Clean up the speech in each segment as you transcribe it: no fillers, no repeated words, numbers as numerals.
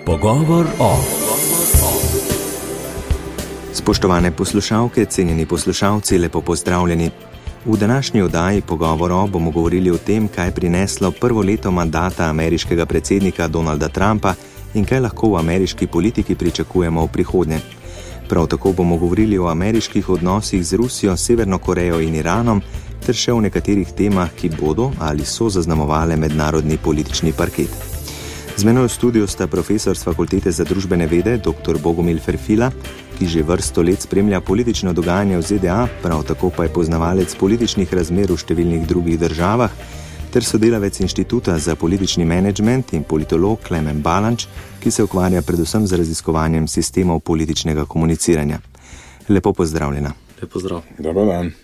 Pogovor o. Spoštovane poslušalke, cenjeni poslušalci, lepo pozdravljeni. V današnji oddaji Pogovor o bomo govorili o tem, kaj je prineslo prvo leto mandata ameriškega predsednika Donalda Trumpa in kaj lahko v ameriški politiki pričakujemo v prihodnje. Prav tako bomo govorili o ameriških odnosih z Rusijo, Severno Korejo in Iranom, ter še o nekaterih temah, ki bodo ali so zaznamovale mednarodni politični parket. Z menoj v studiu sta profesor s Fakultete za družbene vede, dr. Bogomil Ferfila, ki že vrsto let spremlja politično dogajanje v ZDA, prav tako pa je poznavalec političnih razmer v številnih drugih državah, ter sodelavec Inštituta za politični menedžment in politolog Klemen Balanč, ki se ukvarja predvsem z raziskovanjem sistemov političnega komuniciranja. Lepo pozdravljena. Lep pozdrav. Dobar dan.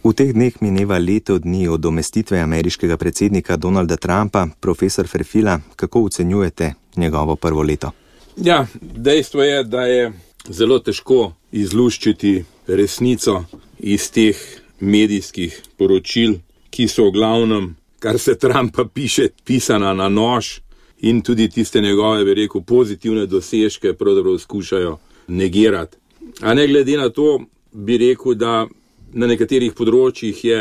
V teh dneh mineva leto dni od umestitve ameriškega predsednika Donalda Trumpa. Profesor Ferfila, kako ocenjujete njegovo prvo leto? Ja, dejstvo je, da je zelo težko izluščiti resnico iz teh medijskih poročil, ki so v glavnem, kar se Trumpa piše, pisana na nož in tudi tiste njegove, bi rekel, pozitivne dosežke pravzaprav skušajo negirati. A ne glede na to, bi rekel, da na nekaterih področjih je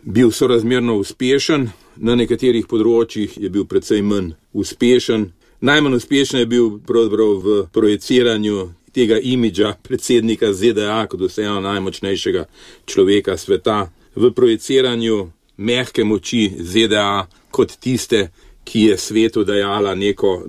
bil sorazmerno uspešen, na nekaterih področjih je bil precej manj uspešen. Najmanj uspešen je bil pravzaprav v projiciranju tega imidža predsednika ZDA kot vseeno najmočnejšega človeka sveta, v projiciranju mehke moči ZDA kot tiste, ki je svetu dajala neko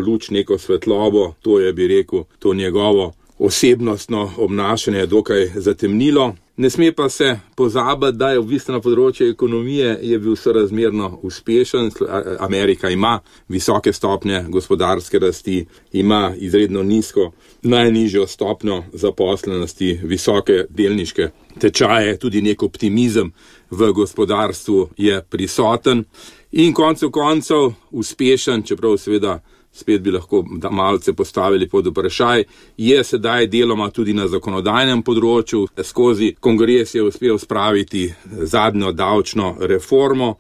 luč, neko svetlobo. To je, bi rekel, to njegovo osebnostno obnašanje dokaj zatemnilo. Ne sme pa se pozabiti, da je v bistvu na področju ekonomije je bil sorazmerno uspešen. Amerika ima visoke stopnje gospodarske rasti, ima izredno nizko, najnižjo stopnjo zaposlenosti, visoke delniške tečaje, tudi nek optimizem v gospodarstvu je prisoten in koncev uspešen, čeprav seveda spet bi lahko malce postavili pod vprašaj, je sedaj deloma tudi na zakonodajnem področju. Skozi kongres je uspel spraviti zadnjo davčno reformo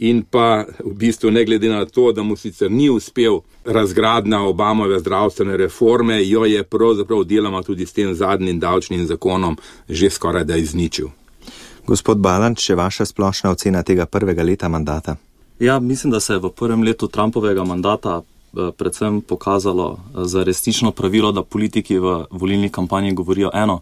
in pa v bistvu ne glede na to, da mu sicer ni uspel razgradnja Obamove zdravstvene reforme, jo je pravzaprav deloma tudi s tem zadnjim davčnim zakonom že skoraj da izničil. Gospod Balanč, še vaša splošna ocena tega prvega leta mandata? Ja, mislim, da se je v prvem letu Trumpovega mandata predvsem pokazalo za resnično pravilo, da politiki v volilni kampanji govorijo eno,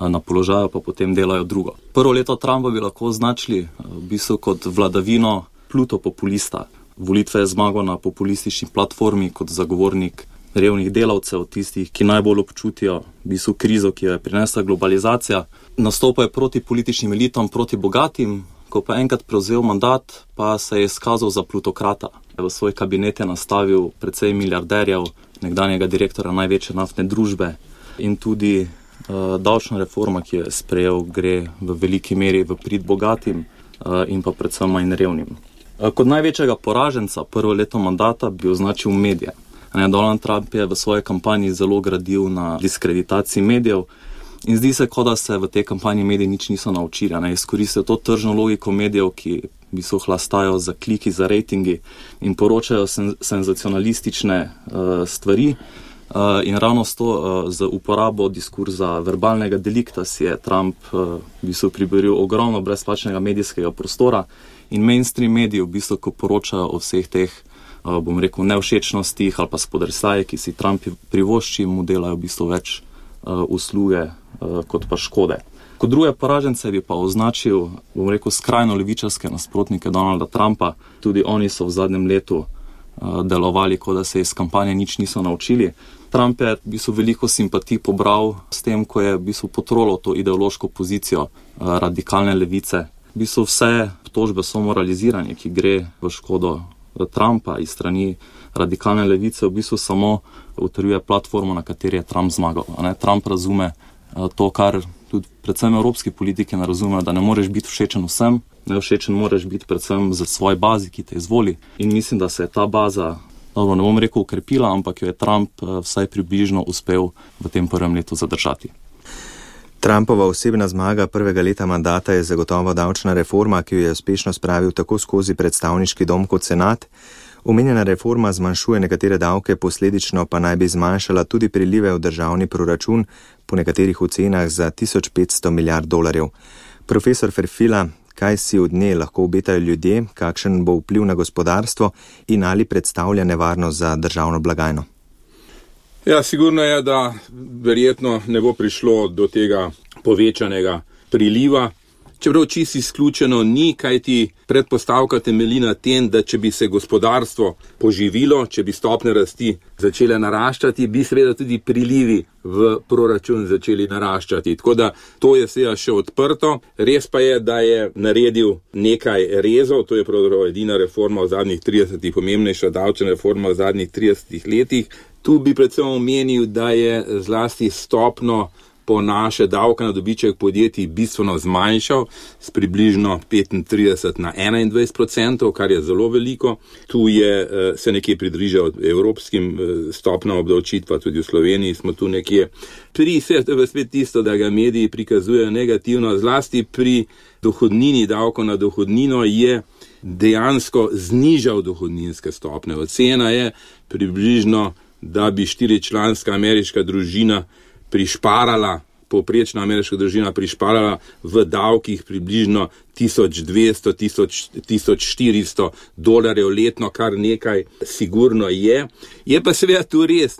na položaju pa potem delajo drugo. Prvo leto Trumpa bi lahko označili v bistvu kot vladavino plutopopulista. Volitve je zmagal na populistični platformi kot zagovornik revnih delavcev, tistih, ki najbolj občutijo v bistvu krizo, ki jo je prinesla globalizacija. Nastopal je proti političnim elitom, proti bogatim. Ko pa enkrat prevzel mandat, pa se je izkazal za plutokrata. V svoj kabinet je nastavil precej milijarderjev, nekdanjega direktora največje naftne družbe in tudi davčna reforma, ki jo je sprejel, gre v veliki meri v prid bogatim in pa predvsem manj revnim. Kot največjega poraženca prvo leto mandata bi označil medije. Donald Trump je v svoji kampanji zelo gradil na diskreditaciji medijev. In zdi se, kot da se v tej kampanji mediji nič niso naučili. Izkoristijo to tržno logiko medijev, ki v bistvu hlastajo za kliki, za rejtingi in poročajo senzacionalistične stvari. In ravno s to, z uporabo diskurza verbalnega delikta si je Trump v bistvu priboril ogromno brezplačnega medijskega prostora in mainstream mediji v bistvu, ko poročajo o vseh teh, bom rekel, nevšečnostih ali pa spodrsaje, ki si Trump privošči, mu delajo v bistvu več usluge kot pa škode. Kot druge poražence bi pa označil, bom rekel, skrajno levičarske nasprotnike Donalda Trumpa. Tudi oni so v zadnjem letu delovali, kot da se iz kampanje nič niso naučili. Trump je v bistvu veliko simpatij pobral s tem, ko je v bistvu potrolal to ideološko pozicijo radikalne levice. V bistvu vse obtožbe so moraliziranje, ki gre v škodo Trumpa iz strani radikalne levice, v bistvu samo utrjuje platformo, na kateri je Trump zmagal. Trump razume to, kar tudi predvsem evropski politiki ne razumejo, da ne moreš biti všečen vsem, nevšečen moraš biti predvsem za svoji bazi, ki te izvoli. In mislim, da se je ta baza, ne bom rekel ukrepila, ampak jo je Trump vsaj približno uspel v tem prvem letu zadržati. Trumpova osebna zmaga prvega leta mandata je zagotovo davčna reforma, ki jo je uspešno spravil tako skozi predstavniški dom kot senat. Omenjena reforma zmanjšuje nekatere davke, posledično pa naj bi zmanjšala tudi prilive v državni proračun, po nekaterih ocenah za 1500 milijard dolarjev. Profesor Ferfila, kaj si od nje lahko obetajo ljudje, kakšen bo vpliv na gospodarstvo in ali predstavlja nevarnost za državno blagajno? Ja, sigurno je, da verjetno ne bo prišlo do tega povečanega priliva. Čeprav čisto izključeno ni, kajti predpostavka temelji na tem, da če bi se gospodarstvo poživilo, če bi stopnje rasti začele naraščati, bi seveda tudi prilivi v proračun začeli naraščati. Tako da to je seveda še odprto. Res pa je, da je naredil nekaj rezov, to je pravzaprav edina reforma v zadnjih 30, pomembnejša davčna reforma v zadnjih 30 letih. Tu bi predvsem omenil, da je zlasti stopno po naše davka na dobiček podjetij bistveno zmanjšal s približno 35 na 21%, kar je zelo veliko. Tu je se nekje pridružil evropskim stopnjam obdavčitva, tudi v Sloveniji smo tu nekje. Pri spet tisto, da ga mediji prikazujejo negativno, zlasti pri dohodnini, davko na dohodnino je dejansko znižal dohodninske stopnje. Ocena je približno, da bi 4-članska ameriška družina povprečna ameriška družina prišparala v davkih približno 1200-1400 dolarjev letno, kar nekaj sigurno je. Je pa seveda tu res,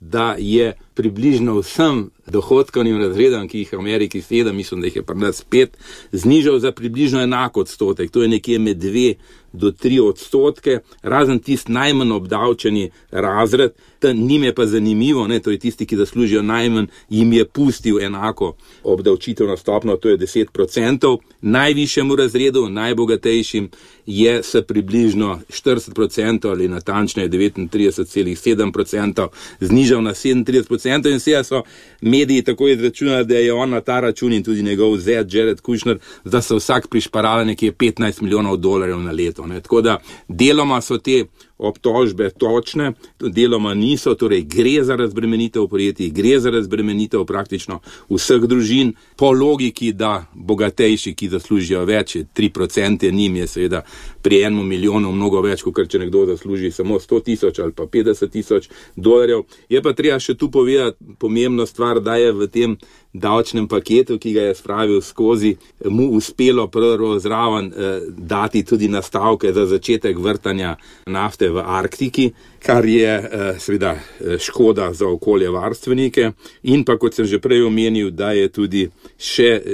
da je približno vsem dohodkovnim razredom, ki jih v Ameriki 7, mislim, da jih je pri nas 5, znižal za približno enak odstotek. To je nekje med 2 do 3%, razen tisti najmanj obdavčeni razred. Njim je pa zanimivo, to je tisti, ki zaslužijo najmanj, jim je pustil enako obdavčitev stopnjo, to je 10%. Najvišjemu razredu, najbogatejšim, je se približno 40% ali natančneje 39,7% znižal na 37% in vse so mediji tako izračunali, da je on na ta račun in tudi njegov zet Jared Kushner, da so vsak prišparali nekje 15 milijonov dolarjev na leto. Tako da deloma so te obtožbe točne, deloma niso, torej gre za razbremenitev podjetij, gre za razbremenitev praktično vseh družin, po logiki, da bogatejši, ki zaslužijo več, 3% njim je seveda pri 1 milijonu mnogo več, kot če nekdo zasluži samo 100,000 ali pa 50,000 dolarjev. Je pa treba še tu povedati pomembno stvar, da je v tem davčnem paketu, ki ga je spravil skozi, mu uspelo prvo zraven dati tudi nastavke za začetek vrtanja nafte v Arktiki, kar je seveda škoda za okoljevarstvenike, in pa, kot sem že prej omenil, da je tudi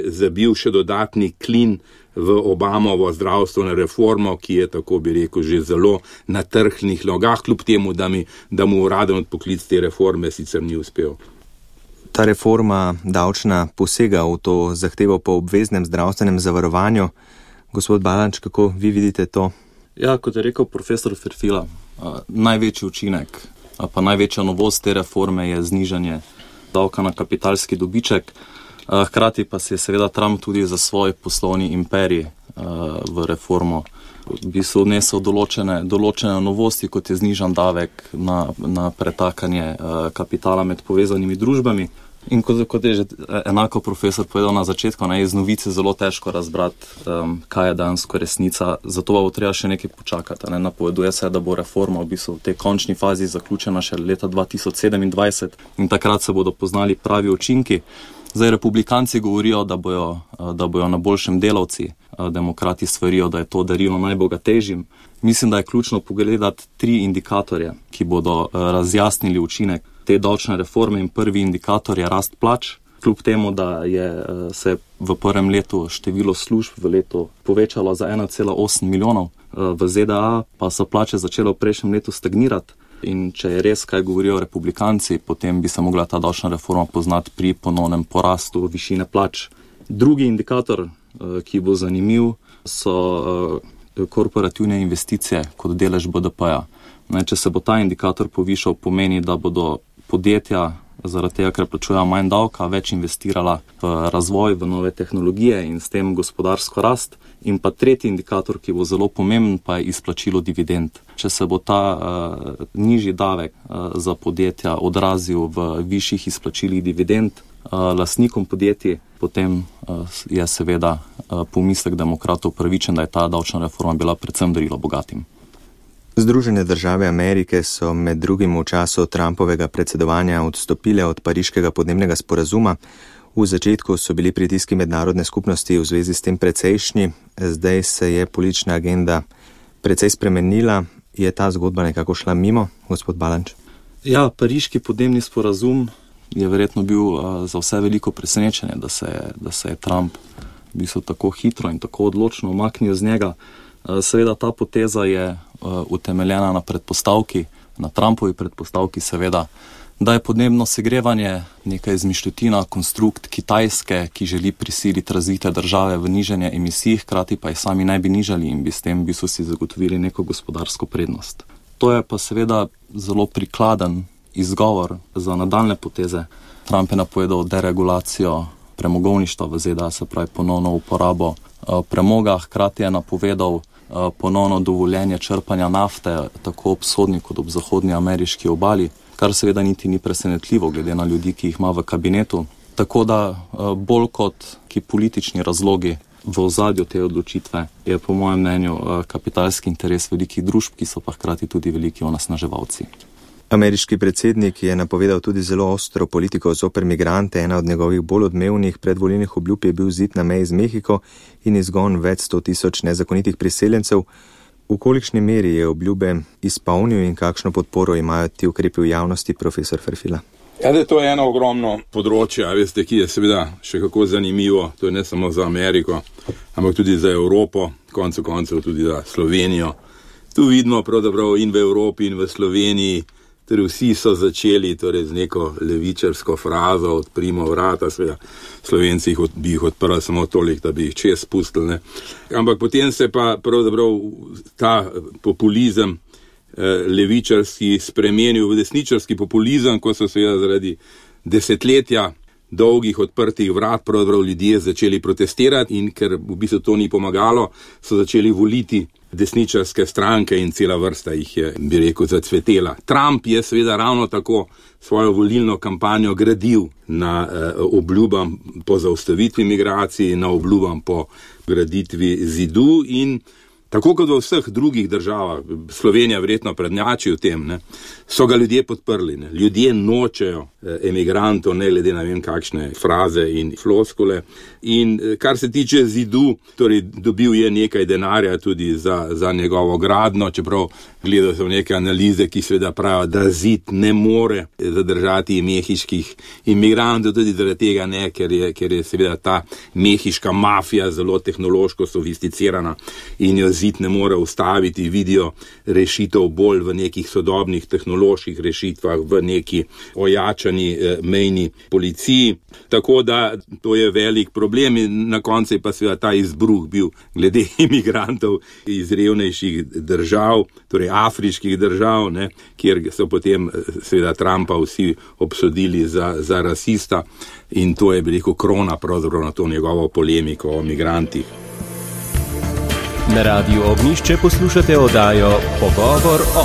zabil še dodatni klin v Obamovo zdravstveno reformo, ki je, tako bi rekel, že zelo na trhlih nogah, kljub temu, da mu uraden odpoklic te reforme sicer ni uspel. Ta reforma davčna posega v to zahtevo po obveznem zdravstvenem zavarovanju. Gospod Balanč, kako vi vidite to? Ja, kot je rekel profesor Ferfila, največji učinek, pa največja novost te reforme je znižanje davka na kapitalski dobiček. Hkrati pa se je seveda Trump tudi za svoj poslovni imperij v reformo v bistvu odnesel določene novosti, kot je znižan davek na pretakanje kapitala med povezanimi družbami. In kot je že enako profesor povedal na začetku, iz novice zelo težko razbrati, kaj je dejansko resnica, zato bo treba še nekaj počakati. Napoveduje se, da bo reforma v bistvu v tej končni fazi zaključena še leta 2027 in takrat se bodo poznali pravi učinki. Zdaj republikanci govorijo, da bojo na boljšem delavci, demokrati svarijo, da je to darilo najbogatejšim. Mislim, da je ključno pogledati 3 indikatorje, ki bodo razjasnili učinek te davčne reforme, in prvi indikator je rast plač. Kljub temu, da se v prvem letu število služb v letu povečalo za 1,8 milijonov, v ZDA pa so plače začele v prejšnjem letu stagnirati. In če je res, kaj govorijo republikanci, potem bi se mogla ta davčna reforma poznati pri ponovnem porastu višine plač. Drugi indikator, ki bo zanimiv, so korporativne investicije kot delež BDP-ja. Če se bo ta indikator povišal, pomeni, da bodo podjetja zaradi tega, ker plačujejo manj davka, več investirala v razvoj, v nove tehnologije in s tem gospodarsko rast. In pa tretji indikator, ki bo zelo pomemben, pa je izplačilo dividend. Če se bo ta nižji davek za podjetja odrazil v višjih izplačilih dividend lastnikom podjetij, potem je seveda pomislek demokratov pravičen, da je ta davčna reforma bila predvsem darilo bogatim. Združene države Amerike so med drugim v času Trumpovega predsedovanja odstopile od Pariškega podnebnega sporazuma. V začetku so bili pritiski mednarodne skupnosti v zvezi s tem precejšnji, zdaj se je politična agenda precej spremenila. Je ta zgodba nekako šla mimo, gospod Balanč? Ja, Pariški podnebni sporazum je verjetno bil za vse veliko presenečenje, da se je Trump v bistvu tako hitro in tako odločno umaknil z njega. Seveda ta poteza je utemeljena na predpostavki, na Trumpovi predpostavki seveda, da je podnebno segrevanje neka izmišljotina, konstrukt Kitajske, ki želi prisiliti razvite države v nižanje emisij, hkrati pa jih sami ne bi nižali in bi s tem so si zagotovili neko gospodarsko prednost. To je pa seveda zelo prikladen izgovor za nadaljne poteze. Trump je napovedal deregulacijo premogovništva v ZDA, se pravi ponovno uporabo premoga, hkrati je napovedal ponovno dovoljenje črpanja nafte tako ob vzhodni kot ob zahodni ameriški obali, kar seveda niti ni presenetljivo glede na ljudi, ki jih ima v kabinetu. Tako da bolj kot ki politični razlogi v ozadju te odločitve je po mojem mnenju kapitalski interes velikih družb, ki so pa hkrati tudi veliki onesnaževalci. Ameriški predsednik je napovedal tudi zelo ostro politiko zoper migrante. Ena od njegovih bolj odmevnih predvolilnih obljub je bil zid na meji z Mehiko in izgon več 100.000 nezakonitih priseljencev. V kolikšni meri je obljube izpolnil in kakšno podporo imajo ti ukrepi v javnosti, profesor Ferfila? Ja, to je eno ogromno področje, veste, ki je seveda še kako zanimivo. To je ne samo za Ameriko, ampak tudi za Evropo, koncev tudi za Slovenijo. Tu vidimo pravzaprav in v Evropi in v Sloveniji, torej vsi so začeli z neko levičarsko frazo, odprimo vrata, seveda Slovenci bi jih odprli samo toliko, da bi jih čez spustili, ne. Ampak potem se pa pravzaprav ta populizem levičarski spremenil v desničarski populizem, ko so seveda zaradi desetletja dolgih odprtih vrat pravzaprav ljudje začeli protestirati in ker v bistvu to ni pomagalo, so začeli voliti desničarske stranke in cela vrsta jih je, bi rekel, zacvetela. Trump je seveda ravno tako svojo volilno kampanjo gradil na obljubam po zaustavitvi migracij, na obljubam po graditvi zidu in tako kot v vseh drugih državah, Slovenija verjetno prednjači v tem, ne, so ga ljudje podprli. Ne. Ljudje nočejo emigrantov, ne glede na vem kakšne fraze in floskule. In kar se tiče zidu, torej dobil je nekaj denarja tudi za njegovo gradno, čeprav gledal sem neke analize, ki seveda pravijo, da zid ne more zadržati mehiških imigrantov, tudi zaradi tega ne, ker je seveda ta mehiška mafija zelo tehnološko sofisticirana in jo zid ne more ustaviti, vidijo rešitev bolj v nekih sodobnih tehnoloških rešitvah, v neki ojačani mejni policiji. Tako da to je velik problem in na koncu je pa seveda ta izbruh bil glede imigrantov iz revnejših držav, torej afriških držav, ne, kjer so potem seveda Trumpa vsi obsodili za rasista in to je, bi rekel, krona pravzaprav na to njegovo polemiko o migrantih. Na Radiu Ognjišče poslušate oddajo Pogovor o.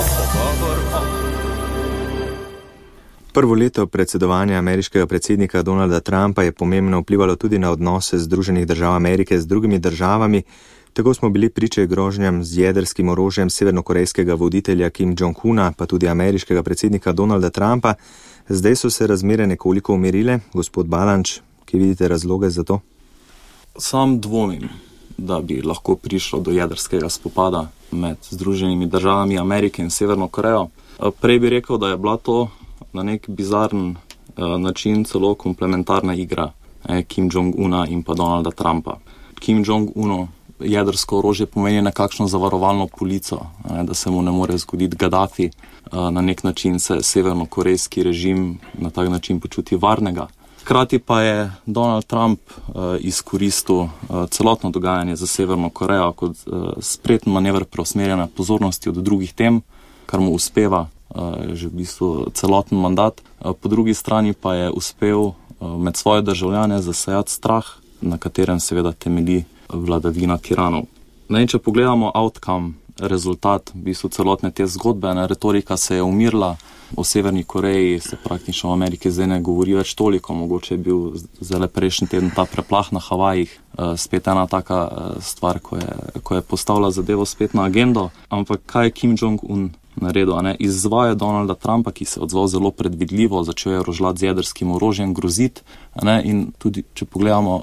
Prvo leto predsedovanja ameriškega predsednika Donalda Trumpa je pomembno vplivalo tudi na odnose Združenih držav Amerike z drugimi državami. Tako smo bili priče grožnjam z jedrskim orožjem severnokorejskega voditelja Kim Jong-una, pa tudi ameriškega predsednika Donalda Trumpa. Zdaj so se razmere nekoliko umirile. Gospod Balanč, kje vidite razloge za to? Sam dvomim, da bi lahko prišlo do jedrskega spopada med Združenimi državami Amerike in Severno Korejo. Prej bi rekel, da je bila to na nek bizaren način celo komplementarna igra Kim Jong-una in pa Donalda Trumpa. Kim Jong-unu jedrsko orožje pomeni nekakšno zavarovalno polico, da se mu ne more zgoditi Gaddafi. Na nek način se severnokorejski režim na tak način počuti varnega. Hkrati pa je Donald Trump izkoristil celotno dogajanje za Severno Korejo kot spreten manever preusmerjanja pozornosti od drugih tem, kar mu uspeva že v bistvu celoten mandat. Po drugi strani pa je uspel med svoje državljane zasejati strah, na katerem seveda temelji vladavina tiranov. Če pogledamo outcome rezultat v bistvu celotne te zgodbe. Retorika se je umirila, o Severni Koreji se praktično v Ameriki zdaj ne govori več toliko, mogoče je bil zdaj prejšnji teden ta preplah na Havajih, spet ena taka stvar, ko je postavila zadevo spet na agendo. Ampak kaj je Kim Jong-un naredil? Izvaja Donalda Trumpa, ki se je odzval zelo predvidljivo, začel je rožljati z jedrskim orožjem, groziti. In tudi, če pogledamo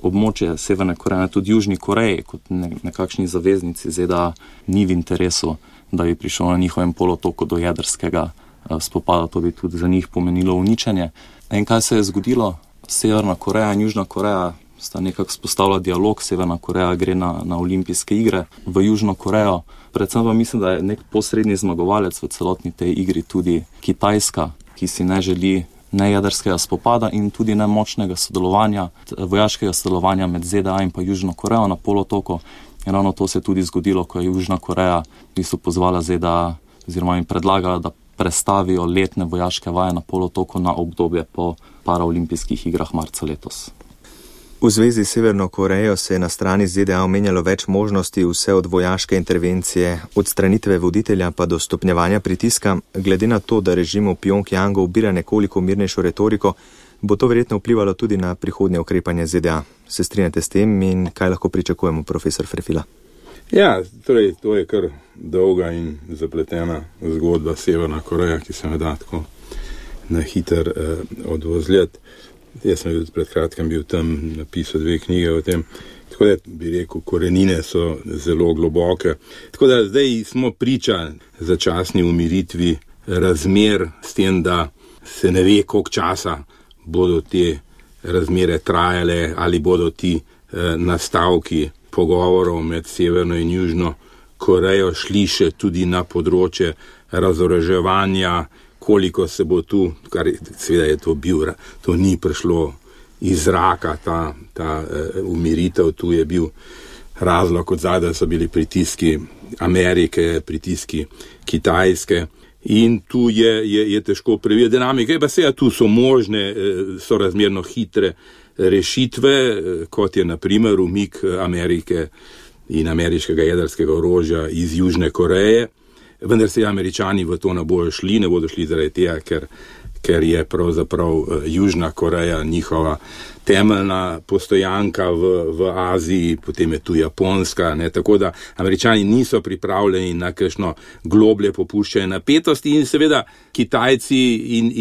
območje Severne Koreje, tudi Južni Koreji, kot nekakšni zaveznici ZDA, ni v interesu, da bi prišel na njihovem polotoku do jedrskega spopada, to bi tudi za njih pomenilo uničenje. In kaj se je zgodilo? Severna Koreja in Južna Koreja sta nekako spostavila dialog, Severna Koreja gre na olimpijske igre v Južno Korejo. Predvsem pa mislim, da je nek posredni zmagovalec v celotni tej igri tudi Kitajska, ki si ne želi ne jedrskega spopada in tudi ne močnega sodelovanja, vojaškega sodelovanja med ZDA in pa Južno Korejo na polotoku. In ravno to se je tudi zgodilo, ko je Južna Koreja v bistvu pozvala ZDA oziroma jim predlagala, da prestavijo letne vojaške vaje na polotoku na obdobje po paraolimpijskih igrah marca letos. V zvezi s Severno Korejo se je na strani ZDA omenjalo več možnosti, vse od vojaške intervencije, odstranitve voditelja pa do stopnjevanja pritiska. Glede na to, da režim v Pjongjangu ubira nekoliko mirnejšo retoriko, bo to verjetno vplivalo tudi na prihodnje ukrepanje ZDA. Se strinjate s tem in kaj lahko pričakujemo, profesor Ferfila? Ja, torej, to je kar dolga in zapletena zgodba Severna Koreja, ki se me da tako na hiter odvozljati. Jaz sem pred kratkem bil tam, napisal 2 knjige o tem, tako da bi rekel, korenine so zelo globoke. Tako da zdaj smo priča začasni umiritvi razmer s tem, da se ne ve, koliko časa bodo te razmere trajale, ali bodo ti nastavki pogovorov med Severno in Južno Korejo šli še tudi na področje razoroževanja, koliko se bo tu, kar seveda je to bil, to ni prišlo iz zraka, ta umiritev, tu je bil razlog od zadaj, so bili pritiski Amerike, pritiski Kitajske in tu je težko preveriti dinamike, pa seveda tu so možne, so razmerno hitre rešitve, kot je na primer umik Amerike in ameriškega jedrskega orožja iz Južne Koreje. Vendar se Američani v to ne bodo šli zaradi tega, ker je pravzaprav Južna Koreja njihova temeljna postojanka v Aziji, potem je tu Japonska, tako da Američani niso pripravljeni na kakšno globlje popuščanje napetosti in seveda Kitajci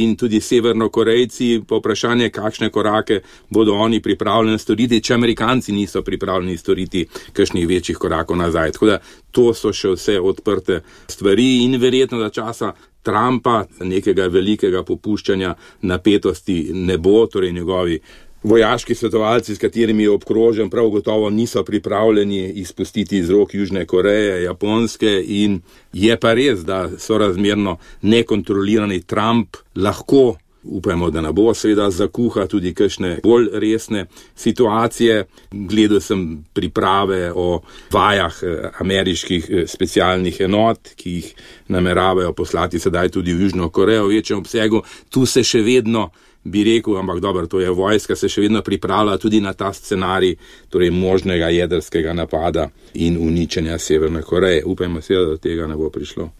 in tudi Severnokorejci po vprašanje, kakšne korake bodo oni pripravljeni storiti, če Amerikanci niso pripravljeni storiti kakšnih večjih korakov nazaj. Tako da to so še vse odprte stvari in verjetno za časa Trumpa nekega velikega popuščanja napetosti ne bo, torej njegovi vojaški svetovalci, s katerimi je obkrožen, prav gotovo niso pripravljeni izpustiti iz rok Južne Koreje, Japonske in je pa res, da so razmerno nekontrolirani Trump lahko, upajmo, da ne bo, seveda zakuha tudi kakšne bolj resne situacije. Gledal sem priprave o vajah ameriških specialnih enot, ki jih nameravajo poslati sedaj tudi v Južno Korejo v večjem obsegu. Tu se še vedno, bi rekel, ampak dobro, to je vojska, se še vedno pripravlja tudi na ta scenarij, torej možnega jedrskega napada in uničenja Severne Koreje. Upajmo se, da do tega ne bo prišlo.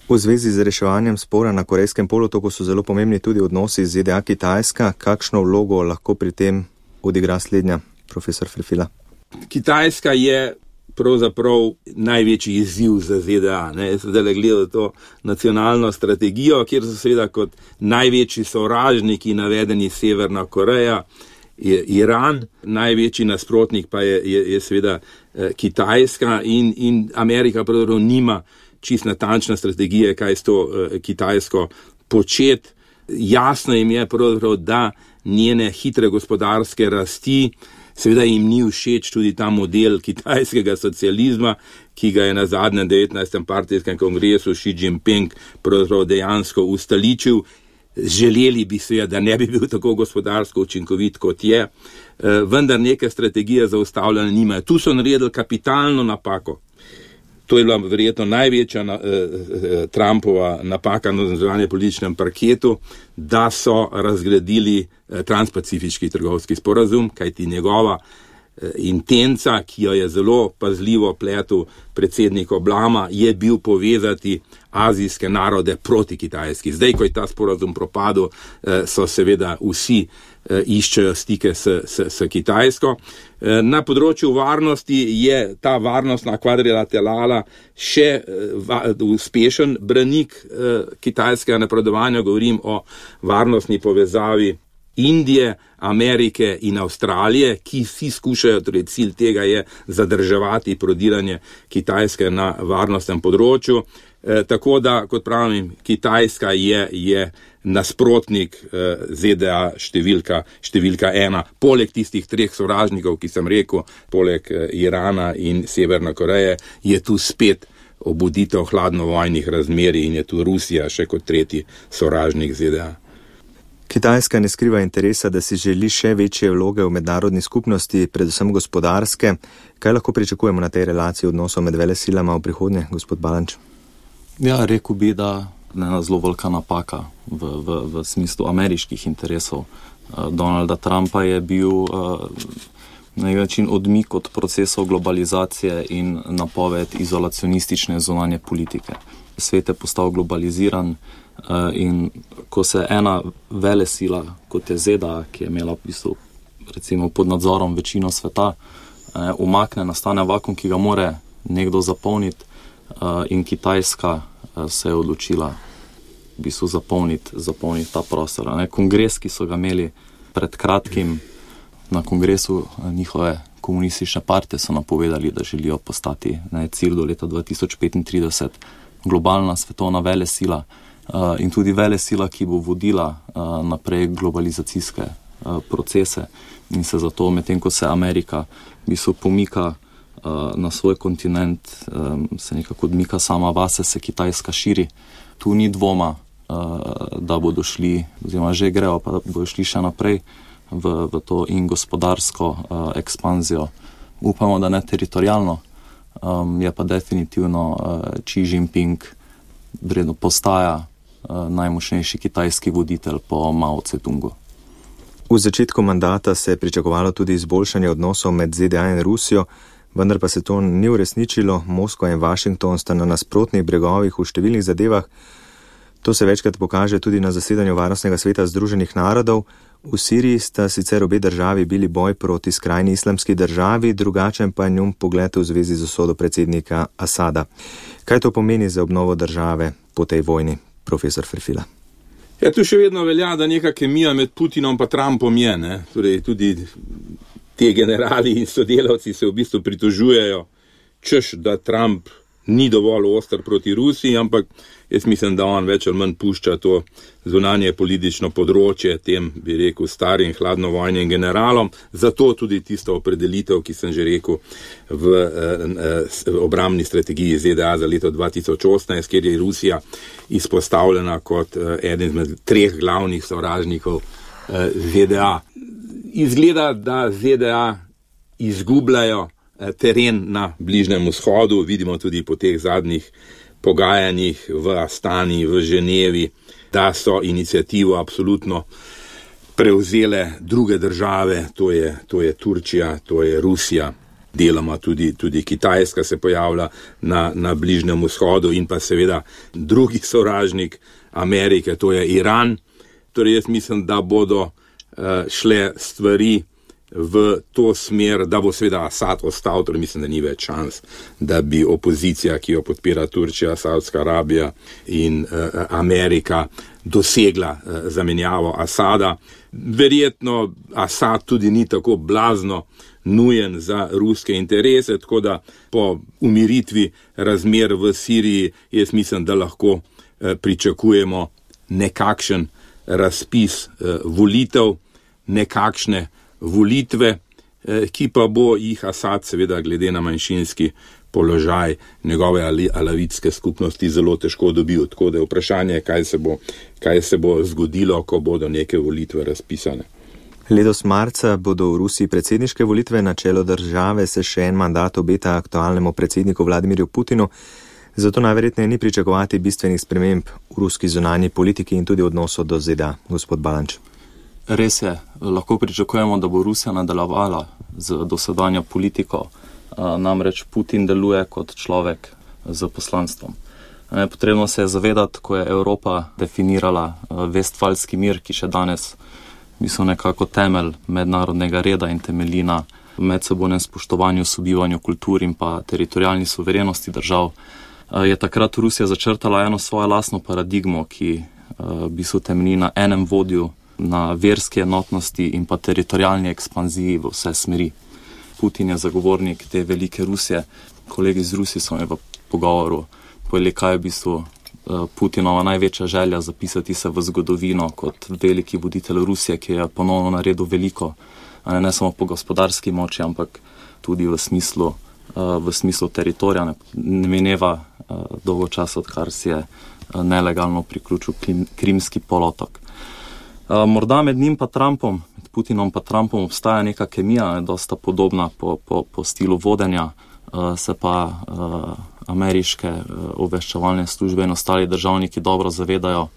V zvezi z reševanjem spora na Korejskem polotoku so zelo pomembni tudi odnosi z ZDA-Kitajska. Kakšno vlogo lahko pri tem odigra slednja, profesor Ferfila? Kitajska je pravzaprav največji izziv za ZDA. Zdaj gledajo to nacionalno strategijo, kjer so seveda kot največji sovražniki navedeni Severna Koreja, Iran, največji nasprotnik pa je seveda Kitajska in Amerika pravzaprav nima čist natančne strategije, kaj s to Kitajsko početi. Jasno jim je pravzaprav, da njene hitre gospodarske rasti, seveda jim ni všeč tudi ta model kitajskega socializma, ki ga je na zadnjem 19. partijskem kongresu Xi Jinping pravzaprav dejansko ustoličil. Želeli bi seveda, da ne bi bil tako gospodarsko učinkovit, kot je, vendar neke strategije za ustavljanje nimajo. Tu so naredili kapitalno napako. To je bila verjetno največja Trumpova napaka na zunanjem političnem parketu, da so razgradili transpacifiški trgovski sporazum, kajti njegova intenca, ki jo je zelo pazljivo pletel predsednik Obama, je bil povezati azijske narode proti Kitajski. Zdaj, ko je ta sporazum propadel, so seveda vsi iščejo stike s Kitajsko. Na področju varnosti je ta varnostna kvadrilaterala še uspešen branik kitajskega napredovanja. Govorim o varnostni povezavi Indije, Amerike in Avstralije, ki vsi skušajo, torej cilj tega je zadrževati prodiranje Kitajske na varnostnem področju. Tako da, kot pravim, Kitajska je nasprotnik ZDA številka 1. Poleg tistih 3 sovražnikov, ki sem rekel, poleg Irana in Severne Koreje, je tu spet obuditev hladnovojnih razmerij in je tu Rusija še kot 3. sovražnik ZDA. Kitajska ne skriva interesa, da si želi še večje vloge v mednarodni skupnosti, predvsem gospodarske. Kaj lahko pričakujemo na tej relaciji odnosov med velesilama v prihodnje, gospod Balanč? Ja, rekel bi, da ena zelo velika napaka v smislu ameriških interesov Donalda Trumpa je bil na nek način odmik od procesov globalizacije in napoved izolacionistične zunanje politike. Svet je postal globaliziran in ko se ena velesila, kot je ZDA, ki je imela v bistvu recimo pod nadzorom večino sveta, umakne, nastane vakuum, ki ga more nekdo zapolniti in Kitajska se je odločila v bistvu zapolniti ta prostor. Kongres, ki so ga imeli pred kratkim, na kongresu njihove komunistične partije so napovedali, da želijo postati cilj do leta 2035 globalna svetovna velesila in tudi velesila, ki bo vodila naprej globalizacijske procese in se zato, medtem ko se Amerika v bistvu pomika na svoj kontinent, se nekako odmika sama vase, se Kitajska širi. Tu ni dvoma, da bodo šli, oziroma že grejo, pa da bodo šli še naprej v to in gospodarsko ekspanzijo. Upamo, da ne teritorijalno, je pa definitivno Xi Jinping vredno postaja najmočnejši kitajski voditelj po Mao Tse-tungu. V začetku mandata se je pričakovalo tudi izboljšanje odnosov med ZDA in Rusijo, vendar pa se to ni uresničilo. Moskva in Washington sta na nasprotnih bregovih v številnih zadevah. To se večkrat pokaže tudi na zasedanju Varnostnega sveta Združenih narodov. V Siriji sta sicer obe državi bili boj proti skrajni islamski državi, drugačen pa je njun pogled v zvezi z usodo predsednika Asada. Kaj to pomeni za obnovo države po tej vojni, profesor Ferfila? Ja, tu še vedno velja, da neka kemija med Putinom pa Trumpom je, ne? Torej, tudi te generali in sodelavci se v bistvu pritožujejo, češ, da Trump ni dovolj oster proti Rusiji, ampak jaz mislim, da on več ali manj pušča to zunanje politično področje tem, bi rekel, starim hladnovojnim generalom. Zato tudi tisto opredelitev, ki sem že rekel v obrambni strategiji ZDA za leto 2018, kjer je Rusija izpostavljena kot eden izmed 3 glavnih sovražnikov ZDA. Izgleda, da ZDA izgubljajo teren na Bližnjem vzhodu, vidimo tudi po teh zadnjih pogajanjih v Astani, v Ženevi, da so inicijativo absolutno prevzele druge države, to je Turčija, to je Rusija, deloma tudi Kitajska se pojavlja na Bližnjem vzhodu in pa seveda drugi sovražnik Amerike, to je Iran. Torej jaz mislim, da bodo šle stvari v to smer, da bo seveda Asad ostal, torej mislim, da ni več šans, da bi opozicija, ki jo podpira Turčija, Saudska Arabija in Amerika, dosegla zamenjavo Asada. Verjetno Asad tudi ni tako blazno nujen za ruske interese, tako da po umiritvi razmer v Siriji jaz mislim, da lahko pričakujemo nekakšen razpis volitev, nekakšne volitve, ki pa bo jih Asad seveda glede na manjšinski položaj njegove alavitske skupnosti zelo težko dobil. Tako da je vprašanje, kaj se bo zgodilo, ko bodo neke volitve razpisane. Letos marca bodo v Rusiji predsedniške volitve, na čelo države se še en mandat obeta aktualnemu predsedniku Vladimirju Putinu, zato najverjetneje ni pričakovati bistvenih sprememb v ruski zunanji politiki in tudi odnosu do ZDA. Gospod Balanč. Res je, lahko pričakujemo, da bo Rusija nadaljevala z dosedanjo politiko, namreč Putin deluje kot človek z poslanstvom. Potrebno se je zavedati, ko je Evropa definirala Vestfalski mir, ki še danes nekako temelj mednarodnega reda in temelji na medsebojnem spoštovanju, sobivanju kultur in pa teritorialni suverenosti držav, je takrat Rusija začrtala eno svojo lastno paradigmo, ki temelji na enem vodju, na verski enotnosti in pa teritorialni ekspanziji v vse smeri. Putin je zagovornik te velike Rusije. Kolegi iz Rusije so mi v pogovoru povedali, kaj je v bistvu Putinova največja želja zapisati se v zgodovino kot veliki voditelj Rusije, ki je ponovno naredil veliko, ne samo po gospodarski moči, ampak tudi v smislu teritorija. Ne mineva dolgo časa, odkar si je nelegalno priključil Krimski polotok. Morda med njim pa Trumpom, med Putinom pa Trumpom obstaja neka kemija, dosta podobna po stilu vodenja, se pa ameriške obveščevalne službe in ostali državniki dobro zavedajo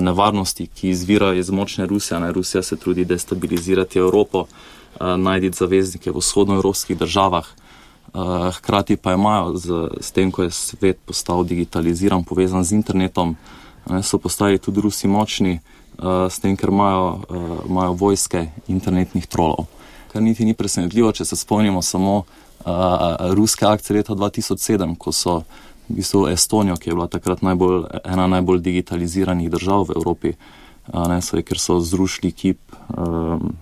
nevarnosti, ki izvirajo iz močne Rusije. Rusija se trudi destabilizirati Evropo, najti zaveznike v vzhodnoevropskih državah. Hkrati pa imajo s tem, ko je svet postal digitaliziran, povezan z internetom, so postali tudi Rusi močni, s tem, ker imajo vojske internetnih trolov. Kar niti ni presenetljivo, če se spomnimo samo ruske akcije leta 2007, ko so v bistvu Estonijo, ki je bila takrat ena najbolj digitaliziranih držav v Evropi, ker so zrušili kip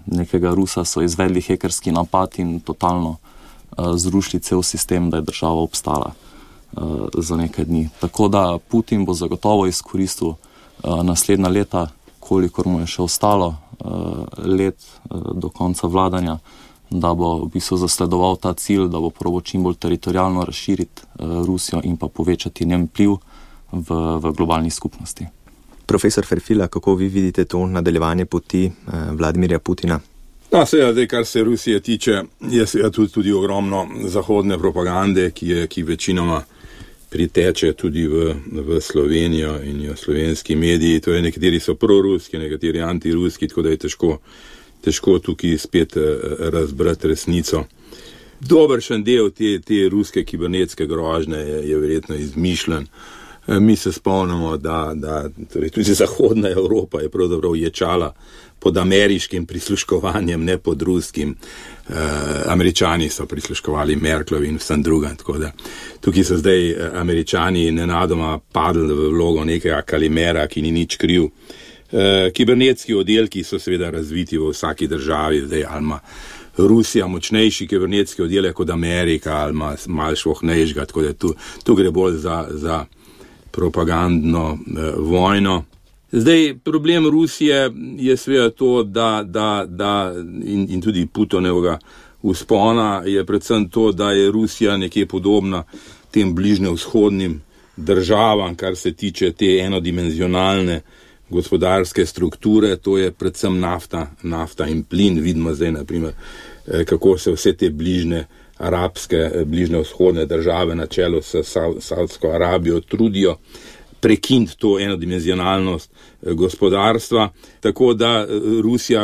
nekega Rusa, so izvedli hekerski napad in totalno zrušili cel sistem, da je država obstala za nekaj dni. Tako da Putin bo zagotovo izkoristil naslednja leta, kolikor mu je še ostalo let do konca vladanja, da bo v bistvu zasledoval ta cilj, da bo probal čim bolj teritorijalno razširiti Rusijo in pa povečati njen vpliv v globalni skupnosti. Profesor Ferfila, kako vi vidite to nadaljevanje poti Vladimirja Putina? Seveda, kar se Rusije tiče, je seveda tudi ogromno zahodne propagande, ki večinoma priteče tudi v Slovenijo in jo slovenski mediji. To je, nekateri so proruski, nekateri antiruski, tako da je težko tukaj spet razbrati resnico. Dobršen del te ruske kibernetske grožnje je verjetno izmišljen. Mi se spomnimo, da torej tudi zahodna Evropa je pravzaprav ječala pod ameriškim prisluškovanjem, ne pod ruskim. Američani so prisluškovali Merklovi in vsem drugim, tako da tukaj so zdaj Američani nenadoma padli v vlogo nekega kalimera, ki ni nič kriv. Kibernetski oddelki so seveda razviti v vsaki državi, zdaj ali ima Rusija močnejši kibernetski oddelek kot Amerika, ali ima malo švohnejšega, tako da tu gre bolj za propagandno vojno. Zdaj, problem Rusije je seveda to, da in tudi Putinovega vzpona je predvsem to, da je Rusija nekje podobna tem bližnjevzhodnim državam, kar se tiče te enodimenzionalne gospodarske strukture, to je predvsem nafta in plin. Vidimo zdaj, naprimer, kako se vse te bližnjevzhodne države na čelu s Saudsko Arabijo trudijo prekiniti to enodimenzionalnost gospodarstva, tako da Rusija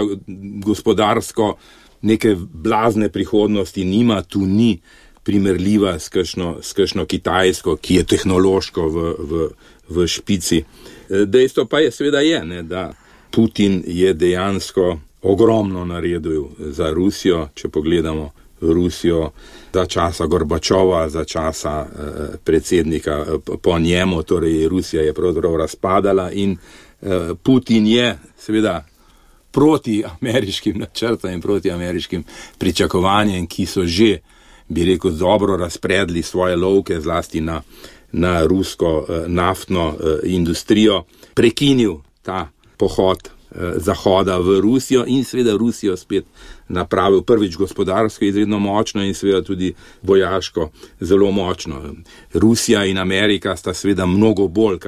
gospodarsko neke blazne prihodnosti nima, tu ni primerljiva s kakšno Kitajsko, ki je tehnološko v špici. Dejstvo pa je seveda da Putin je dejansko ogromno naredil za Rusijo, če pogledamo Rusijo za časa Gorbačova, za časa predsednika po njemu, torej Rusija je pravzaprav razpadala in Putin je seveda proti ameriškim načrtom in proti ameriškim pričakovanjem, ki so že, bi rekel, dobro razpredli svoje lovke zlasti na rusko naftno industrijo, prekinil ta pohod Zahoda v Rusijo in seveda Rusijo spet napravil prvič gospodarsko izredno močno in seveda tudi vojaško zelo močno. Rusija in Amerika sta seveda mnogo bolj,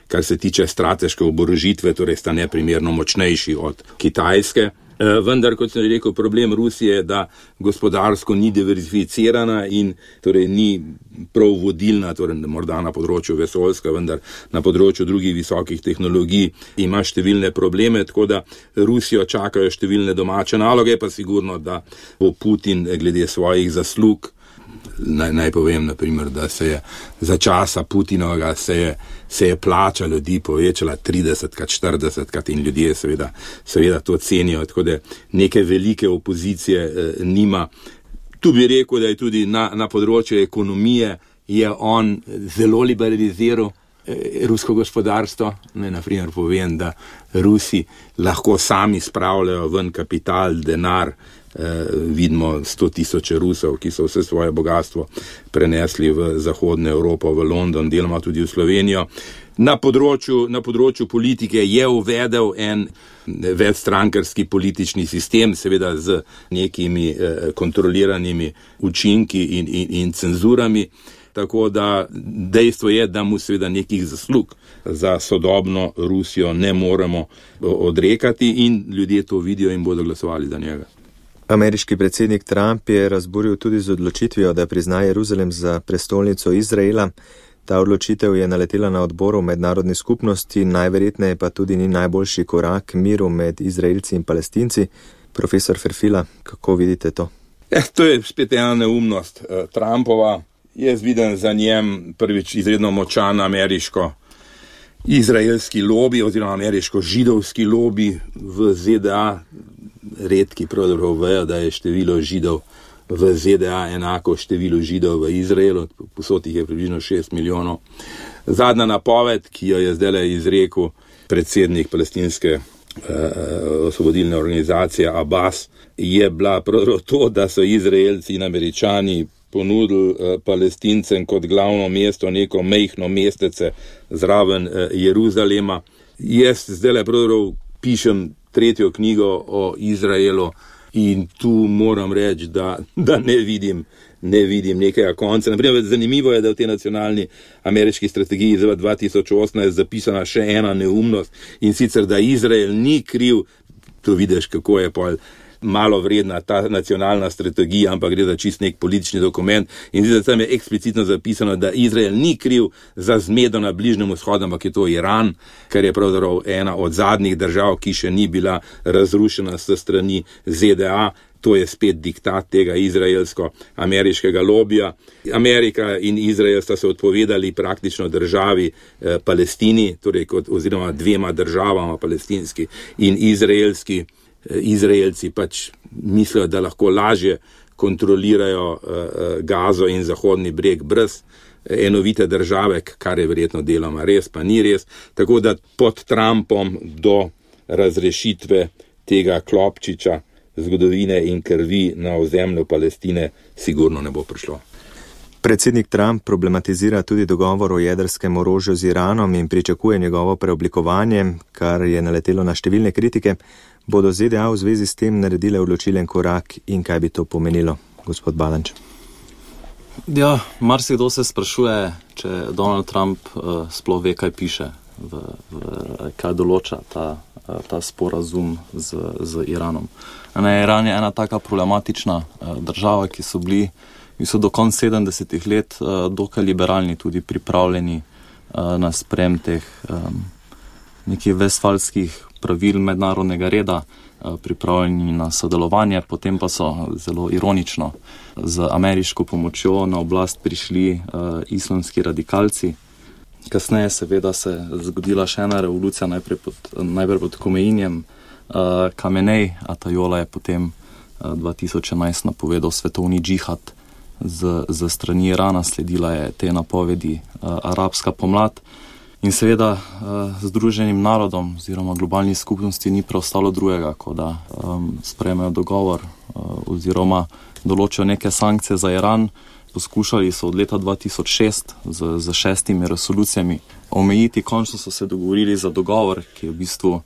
kar se tiče strateške oborožitve, torej sta neprimerno močnejši od Kitajske. Vendar, kot sem rekel, problem Rusije je, da gospodarsko ni diverzificirana in torej ni prav vodilna, torej morda na področju vesoljska, vendar na področju drugih visokih tehnologij ima številne probleme, tako da Rusijo čakajo številne domače naloge, pa sigurno, da bo Putin glede svojih zaslug. Naj povem, naprimer, da se je za časa Putinovega se je plača ljudi povečala 30-krat, 40-krat in ljudje seveda to cenijo, tako da neke velike opozicije nima. Tu bi rekel, da je tudi na področju ekonomije je on zelo liberaliziral rusko gospodarstvo. Naprimer povem, da Rusi lahko sami spravljajo ven kapital, denar. Vidimo 100,000 Rusov, ki so vse svoje bogatstvo prenesli v zahodno Evropo, v London, deloma tudi v Slovenijo. Na področju politike je uvedel en večstrankarski politični sistem, seveda z nekimi kontroliranimi učinki in cenzurami. Tako da dejstvo je, da mu seveda nekih zaslug za sodobno Rusijo ne moremo odrekati in ljudje to vidijo in bodo glasovali za njega. Ameriški predsednik Trump je razburil tudi z odločitvijo, da prizna Jeruzalem za prestolnico Izraela. Ta odločitev je naletela na odboru mednarodni skupnosti, najverjetneje pa tudi ni najboljši korak miru med Izraelci in Palestinci. Profesor Ferfila, kako vidite to? To je spet ena neumnost Trumpova. Jaz vidim za njem prvič izredno močan ameriško-izraelski lobi oziroma ameriško-židovski lobi v ZDA. Redki pravzaprav vejo, da je število Židov v ZDA enako številu Židov v Izraelu, povsod jih je približno 6 milijonov. Zadnja napoved, ki jo je zdaj izrekel predsednik palestinske osvobodilne organizacije Abbas, je bila pravzaprav to, da so Izraelci in Američani ponudili Palestincem kot glavno mesto neko majhno mestece zraven Jeruzalema. Jaz zdaj pravzaprav pišem 3. knjigo o Izraelu in tu moram reči, da ne vidim nekega konca. Naprimer, zanimivo je, da v tej nacionalni ameriški strategiji za 2018 zapisana še ena neumnost in sicer, da Izrael ni kriv, to vidiš, kako je pol malo vredna ta nacionalna strategija, ampak gre za čist nek politični dokument in zdaj tam je eksplicitno zapisano, da Izrael ni kriv za zmedo na Bližnjem vzhodu, ampak je to Iran, kar je pravzaprav ena od zadnjih držav, ki še ni bila razrušena s strani ZDA. To je spet diktat tega izraelsko-ameriškega lobija. Amerika in Izrael sta se odpovedali praktično državi Palestini, torej oziroma dvema državama, palestinski in izraelski. Izraelci pač mislijo, da lahko lažje kontrolirajo Gazo in Zahodni breg brez enovite države, kar je verjetno deloma res, pa ni res. Tako da pod Trumpom do razrešitve tega klopčiča zgodovine in krvi na ozemlju Palestine sigurno ne bo prišlo. Predsednik Trump problematizira tudi dogovor o jedrskem orožju z Iranom in pričakuje njegovo preoblikovanje, kar je naletelo na številne kritike. Bodo ZDA v zvezi s tem naredile odločilen korak in kaj bi to pomenilo, gospod Balanč? Ja, marsikdo se sprašuje, če Donald Trump sploh ve, kaj piše, kaj določa ta sporazum z Iranom. Iran je ena taka problematična država, ki so bili do konca 70-ih let dokaj liberalni, tudi pripravljeni na sprem teh nekih vestfalskih pravil mednarodnega reda, pripravljeni na sodelovanje, potem pa so zelo ironično z ameriško pomočjo na oblast prišli islamski radikalci. Kasneje seveda se zgodila še ena revolucija, najprej pod Komeinjem. Kamenej Atajola je potem 2011 napovedal svetovni džihad z strani Irana, sledila je te napovedi arabska pomlad. In seveda Združenim narodom oziroma globalni skupnosti ni preostalo drugega, kot da sprejmejo dogovor oziroma določijo neke sankcije za Iran. Poskušali so od leta 2006 z 6 resolucijami omejiti, končno so se dogovorili za dogovor, ki je v bistvu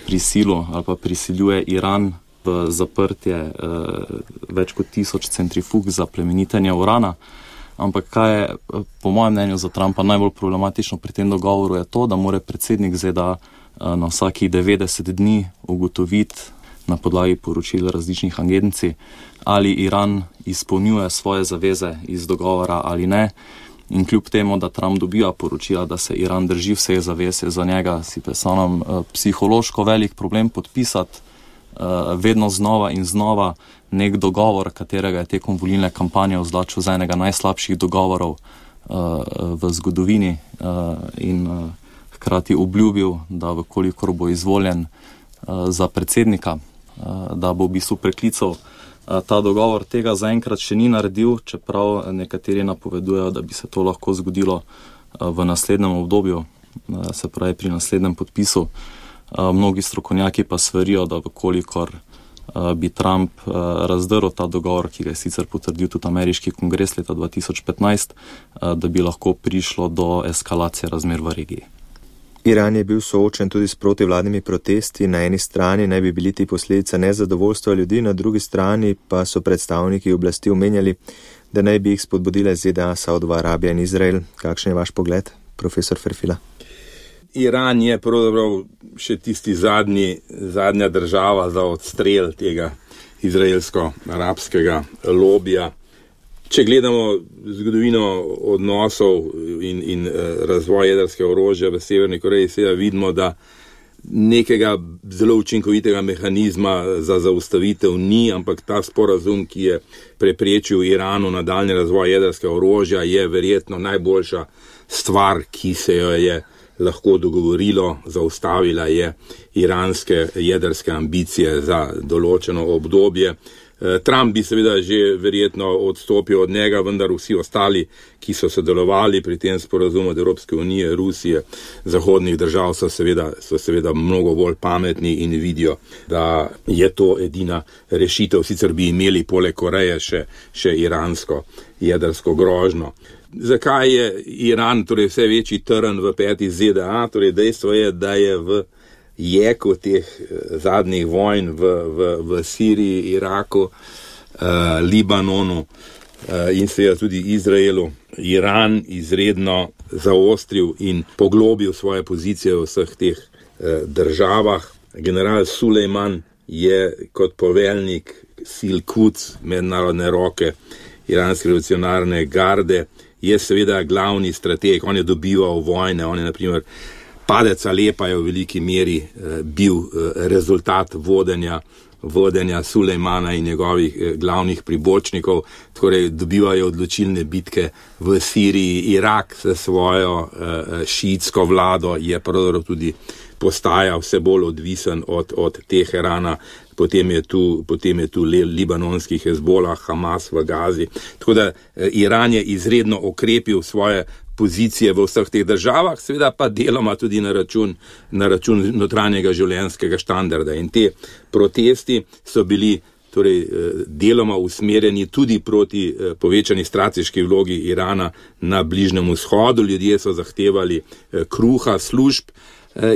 prisilil ali pa prisiljuje Iran v zaprtje več kot 1000 centrifug za plemenitenje urana. Ampak kaj je po mojem mnenju za Trumpa najbolj problematično pri tem dogovoru je to, da mora predsednik ZDA na vsakih 90 dni ugotoviti, na podlagi poročil različnih agencij, ali Iran izpolnjuje svoje zaveze iz dogovora ali ne. In kljub temu, da Trump dobiva poročila, da se Iran drži vseh zavez, je za njega si pesanom psihološko velik problem podpisati vedno znova in znova nek dogovor, katerega je tekom volilne kampanje označil za enega najslabših dogovorov v zgodovini in hkrati obljubil, da vkolikor bo izvoljen za predsednika, da bo v bistvu preklical ta dogovor. Tega zaenkrat še ni naredil, čeprav nekateri napovedujejo, da bi se to lahko zgodilo v naslednjem obdobju, se pravi pri naslednjem podpisu. Mnogi strokovnjaki pa svarijo, da vkolikor bi Trump razdrl ta dogovor, ki ga je sicer potrdil tudi ameriški kongres leta 2015, da bi lahko prišlo do eskalacije razmer v regiji. Iran je bil soočen tudi s protivladnimi protesti. Na eni strani naj bi bili ti posledica nezadovoljstva ljudi, na drugi strani pa so predstavniki oblasti omenjali, da naj bi jih spodbudile ZDA, Saudova Arabija in Izrael. Kakšen je vaš pogled, profesor Ferfila? Iran je pravzaprav še tisti zadnja država za odstrel tega izraelsko-arabskega lobija. Če gledamo zgodovino odnosov in razvoj jedrskega orožja v Severni Koreji, seveda vidimo, da nekega zelo učinkovitega mehanizma za zaustavitev ni, ampak ta sporazum, ki je preprečil Iranu nadaljnji razvoj jedrskega orožja, je verjetno najboljša stvar, ki se jo je lahko dogovorilo, zaustavila je iranske jedrske ambicije za določeno obdobje. Trump bi seveda že verjetno odstopil od njega, vendar vsi ostali, ki so sodelovali pri tem sporazumu od Evropske unije, Rusije, zahodnih držav, so seveda mnogo bolj pametni in vidijo, da je to edina rešitev. Sicer bi imeli poleg Koreje še iransko jedrsko grožnjo. Zakaj je Iran torej vse večji trn v peti ZDA? Torej dejstvo je, da je v jeku teh zadnjih vojn v Siriji, Iraku, Libanonu in seveda tudi Izraelu Iran izredno zaostril in poglobil svoje pozicije v vseh teh državah. General Sulejman je kot poveljnik sil Quds, mednarodne roke iranske revolucionarne garde, je seveda glavni strateg. On je dobival vojne, on je naprimer padec Alepa je v veliki meri bil rezultat vodenja Sulejmana in njegovih glavnih pribočnikov, torej dobivajo odločilne bitke v Siriji. Irak s svojo šiitsko vlado je pravzaprav tudi postaja vse bolj odvisen od Teherana, potem je tu libanonski Hezbolah, Hamas v Gazi. Tako da Iran je izredno okrepil svoje pozicije v vseh teh državah, seveda pa deloma tudi na račun notranjega življenjskega standarda. In te protesti so bili torej deloma usmerjeni tudi proti povečani strateški vlogi Irana na Bližnjem vzhodu. Ljudje so zahtevali kruha, služb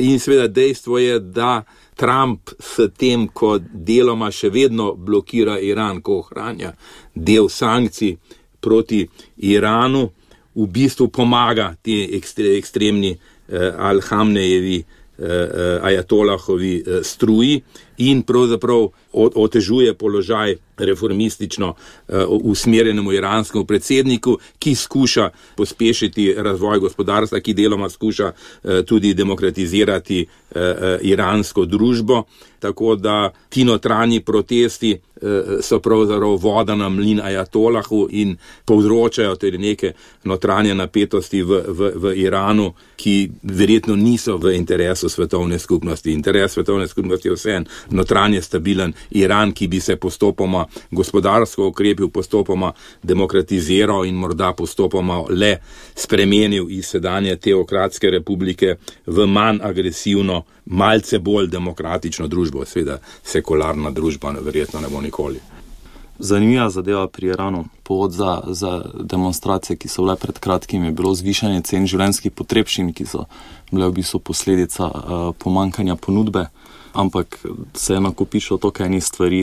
in seveda dejstvo je, da Trump s tem, ko deloma še vedno blokira Iran, ko ohranja del sankcij proti Iranu, v bistvu pomaga te ekstremni Al-Hamnejevi, ajatolahovi struji in pravzaprav otežuje položaj reformistično usmerjenemu iranskemu predsedniku, ki skuša pospešiti razvoj gospodarstva, ki deloma skuša tudi demokratizirati iransko družbo. Tako da ti notranji protesti so pravzaprav voda na mlin ajatolahu in povzročajo tudi neke notranje napetosti v Iranu, ki verjetno niso v interesu svetovne skupnosti. Interes svetovne skupnosti je vseeno notranje stabilen Iran, ki bi se postopoma gospodarsko okrepil, postopoma demokratiziral in morda postopoma le spremenil iz sedanje teokratske republike v manj agresivno, malce bolj demokratično družbo. Seveda sekularna družba verjetno ne bo nikoli. Zanimiva zadeva pri Iranu. Povod za demonstracije, ki so bile pred kratkim, je bilo zvišanje cen življenjskih potrebščin, ki so bile v bistvu posledica pomanjkanja ponudbe, ampak se je nakopičilo toliko enih stvari,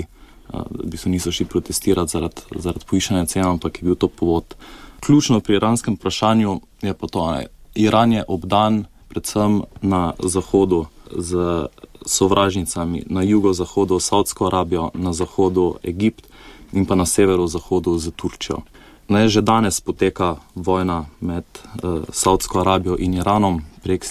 v bistvu niso šli protestirati zaradi povišanja cen, ampak je bil to povod. Ključno pri iranskem vprašanju je pa to, Iran je obdan predvsem na zahodu z sovražnicami, na jugozahodu Saudsko Arabijo, na zahodu Egipt in pa na severozahodu z Turčijo. Že danes poteka vojna med Saudsko Arabijo in Iranom prek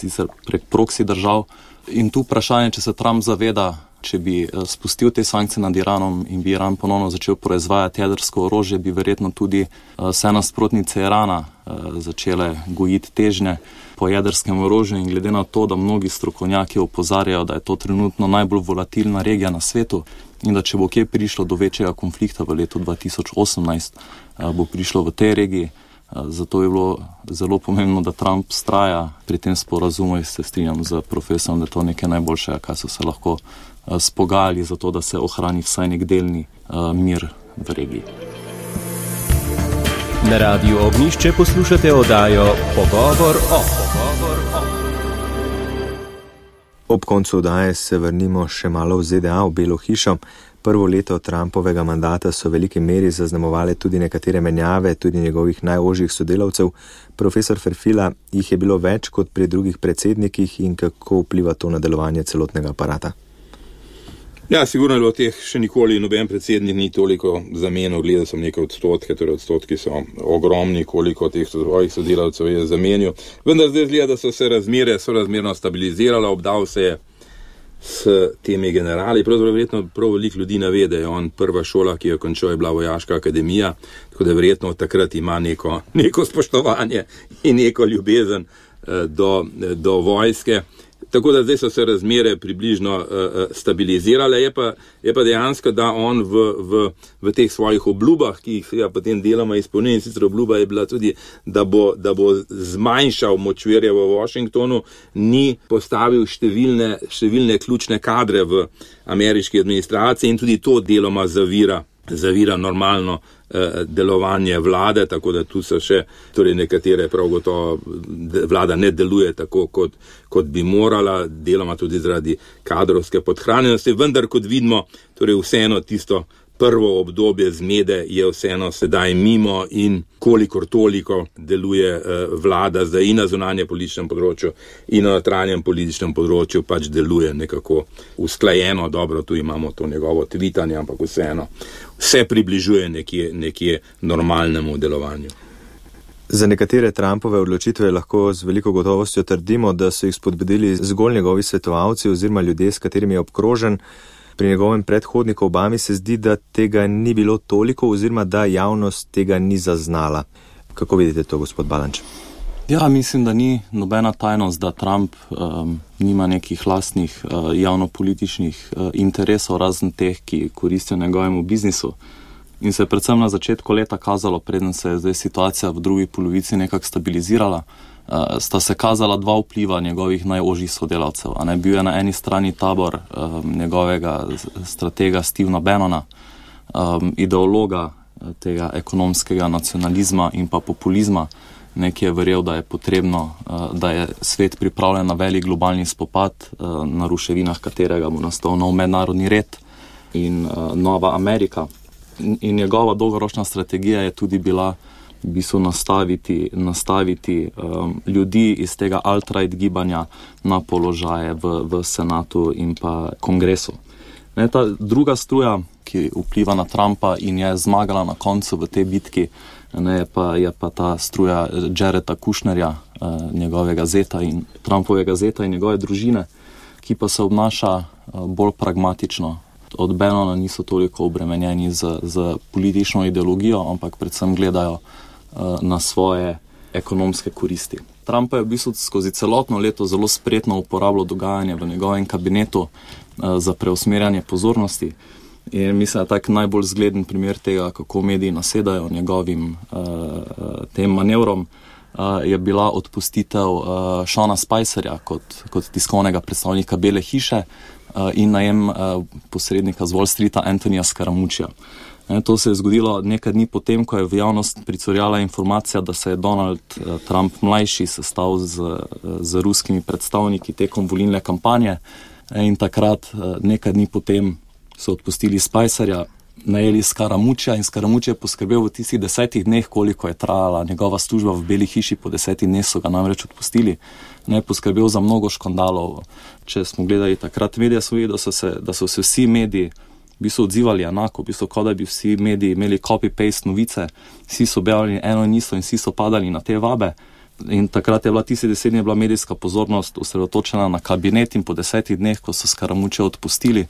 proxy držav. In tu vprašanje, če se Trump zaveda, če bi spustil te sankcije nad Iranom in bi Iran ponovno začel proizvajati jedrsko orožje, bi verjetno tudi vse nasprotnice Irana začele gojiti težnje po jedrskem orožju. In glede na to, da mnogi strokovnjaki opozarjajo, da je to trenutno najbolj volatilna regija na svetu in da če bo kje prišlo do večjega konflikta v letu 2018, bo prišlo v tej regiji. Zato je bilo zelo pomembno, da Trump vztraja pri tem sporazumu in se strinjam z profesorom, da je to nekaj najboljšega, kaj so se lahko spogajali za to, da se ohrani vsaj nek delni mir v regiji. Na Radiu Ognjišče poslušate oddajo Pogovor o. Ob koncu oddaje se vrnimo še malo v ZDA, v Belo hišo. Prvo leto Trumpovega mandata so v veliki meri zaznamovale tudi nekatere menjave, tudi njegovih najožjih sodelavcev. Profesor Ferfila, jih je bilo več kot pri drugih predsednikih in kako vpliva to na delovanje celotnega aparata? Ja, sigurno je bilo teh še nikoli noben predsednik ni toliko zamenil, gledal sem nekaj odstotke, torej odstotki so ogromni, koliko teh svojih sodelavcev je zamenil. Vendar zdaj zgleda, da so se razmere sorazmerno stabilizirale, obdal se je s temi generali. Pravzaprav verjetno prav veliko ljudi ne ve, da je on prva šola, ki jo končal, je bila vojaška akademija, tako da verjetno takrat ima neko spoštovanje in neko ljubezen do vojske. Tako da zdaj so se razmere približno stabilizirale, je pa dejansko, da on v teh svojih obljubah, ki jih ja, potem deloma izpolnil, in sicer obljuba je bila tudi, da bo zmanjšal močvirje v Washingtonu, ni postavil številne ključne kadre v ameriški administraciji in tudi to deloma zavira normalno delovanje vlade, tako da tu so še nekatere prav gotovo vlada ne deluje tako, kot bi morala, deloma tudi zaradi kadrovske podhranjenosti, vendar kot vidimo, vseeno tisto prvo obdobje zmede je vseeno sedaj mimo in kolikor toliko deluje vlada zdaj in na zunanje političnem področju in na notranjem političnem področju pač deluje nekako usklajeno, dobro, tu imamo to njegovo tvitanje, ampak vseeno se približuje nekje normalnemu delovanju. Za nekatere Trumpove odločitve lahko z veliko gotovostjo trdimo, da so jih spodbudili zgolj njegovi svetovalci oziroma ljudje, s katerimi je obkrožen. Pri njegovem predhodniku Obami se zdi, da tega ni bilo toliko oziroma da javnost tega ni zaznala. Kako vidite to, gospod Balanč? Ja, mislim, da ni nobena tajnost, da Trump nima nekih lastnih javnopolitičnih interesov, razen teh, ki koristijo njegovemu biznisu. In se je predvsem na začetku leta kazalo, preden se je zdaj situacija v drugi polovici nekako stabilizirala, sta se kazala dva vpliva njegovih najožjih sodelavcev. Bil je na eni strani tabor njegovega stratega Stevena Bannona, ideologa tega ekonomskega nacionalizma in pa populizma, ki je verjel, da je potrebno, da je svet pripravljen na velik globalni spopad, na ruševinah katerega bo nastal nov mednarodni red in nova Amerika. In njegova dolgoročna strategija je tudi bila v bistvu nastaviti ljudi iz tega alt-right gibanja na položaje v senatu in pa kongresu. Ta druga struja, ki vpliva na Trumpa in je zmagala na koncu v tej bitki, je pa ta struja Jareda Kushnerja, njegovega zeta in Trumpovega zeta in njegove družine, ki pa se obnaša bolj pragmatično. Od Bannona niso toliko obremenjeni z politično ideologijo, ampak predvsem gledajo na svoje ekonomske koristi. Trump je v bistvu skozi celotno leto zelo spretno uporabljal dogajanje v njegovem kabinetu za preusmerjanje pozornosti. In mislim, da tak najbolj zgleden primer tega, kako mediji nasedajo njegovim tem manevrom, je bila odpustitev Seana Spicerja kot tiskovnega predstavnika Bele hiše in najem posrednika z Wall Streeta Antonija Scaramuccija. To se je zgodilo nekaj dni potem, ko je v javnost pricurjala informacija, da se je Donald Trump mlajši sestal z ruskimi predstavniki tekom volilne kampanje in takrat nekaj dni potem so odpustili Spicerja. najeli Scaramuccia in Scaramucci je poskrbel v tistih 10 dneh, koliko je trajala njegova služba v Beli hiši, po 10 dneh so ga namreč odpustili. Ne, poskrbel za mnogo škandalov. Če smo gledali takrat medije, smo videli, da so se vsi mediji v bistvu odzivali enako, v bistvu kot da bi vsi mediji imeli copy-paste novice, vsi so objavljali eno in isto in vsi so padali na te vabe. In takrat je bila tisti 10 dni medijska pozornost osredotočena na kabinet in po 10 dneh, ko so Scaramuccia odpustili,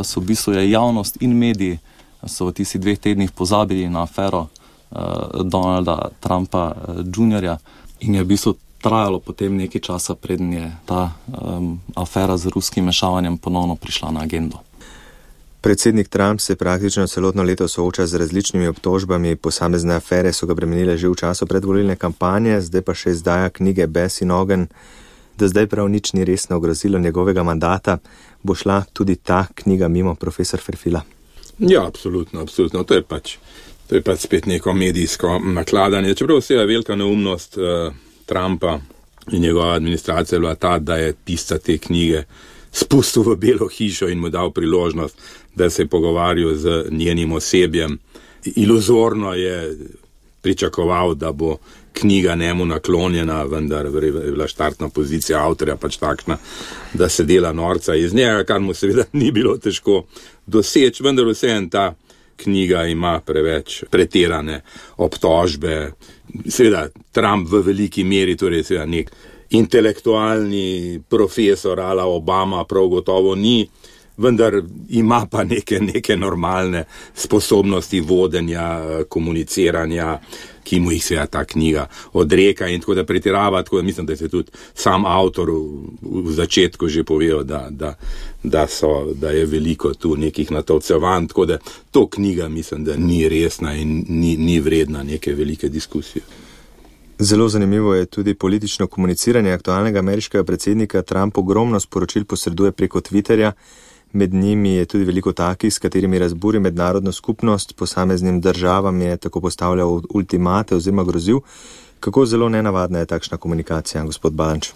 so v bistvu javnost in mediji so v tistih 2 tednih pozabili na afero Donalda Trumpa Jr. in je v bistvu trajalo potem nekaj časa, preden je ta afera z ruskim mešavanjem ponovno prišla na agendo. Predsednik Trump se praktično celotno leto sooča z različnimi obtožbami, posamezne afere so ga bremenile že v času predvolilne kampanje, zdaj pa še izdaja knjige Bes in ogenj. Da zdaj prav nič ni resno ogrozilo njegovega mandata, bo šla tudi ta knjiga mimo, profesor Ferfila? Ja, absolutno. To je pač spet neko medijsko nakladanje. Čeprav vse je velika neumnost Trumpa in njegova administracija bila ta, da je pisca te knjige spustil v Belo hišo in mu dal priložnost, da se je pogovarjal z njenim osebjem. Iluzorno je pričakoval, da bo knjiga njemu naklonjena, vendar je bila štartna pozicija avtorja pač takšna, da se dela norca iz njega, kar mu seveda ni bilo težko doseči, vendar vseeno ta knjiga ima preveč pretirane obtožbe. Seveda Trump v veliki meri, torej seveda nek intelektualni profesor ala Obama prav gotovo ni, vendar ima pa neke normalne sposobnosti vodenja, komuniciranja, ki mu jih seveda ta knjiga odreka in tako da pretirava, tako da mislim, da se tudi sam avtor v začetku že povedal, da je veliko tu nekih natovcevanj, tako da to knjiga mislim, da ni resna in ni vredna neke velike diskusije. Zelo zanimivo je tudi politično komuniciranje aktualnega ameriškega predsednika. Trump ogromno sporočil posreduje preko Twitterja, med njimi je tudi veliko takih, s katerimi razburi mednarodno skupnost, posameznim državam je tako postavljal ultimate oziroma grozil. Kako zelo nenavadna je takšna komunikacija, gospod Balanč?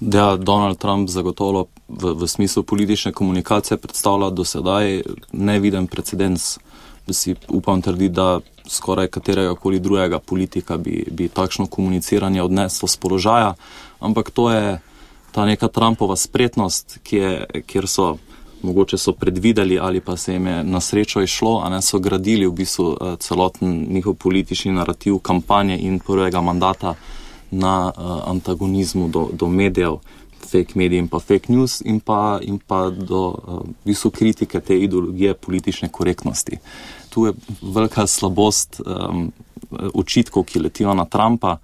Da, Donald Trump zagotovo v smislu politične komunikacije predstavlja do sedaj neviden precedens. Da si upam trditi, da skoraj katerega koli drugega politika bi takšno komuniciranje odneslo z položaja, ampak to je ta neka Trumpova spretnost, kjer mogoče so predvideli ali pa se jim je na srečo išlo, a ne so gradili v bistvu celoten njihov politični narativ kampanje in prvega mandata na antagonizmu do medijev, fake medij in pa fake news in pa do v bistvu kritike te ideologije politične korektnosti. Tu je velika slabost očitkov, ki letijo na Trumpa,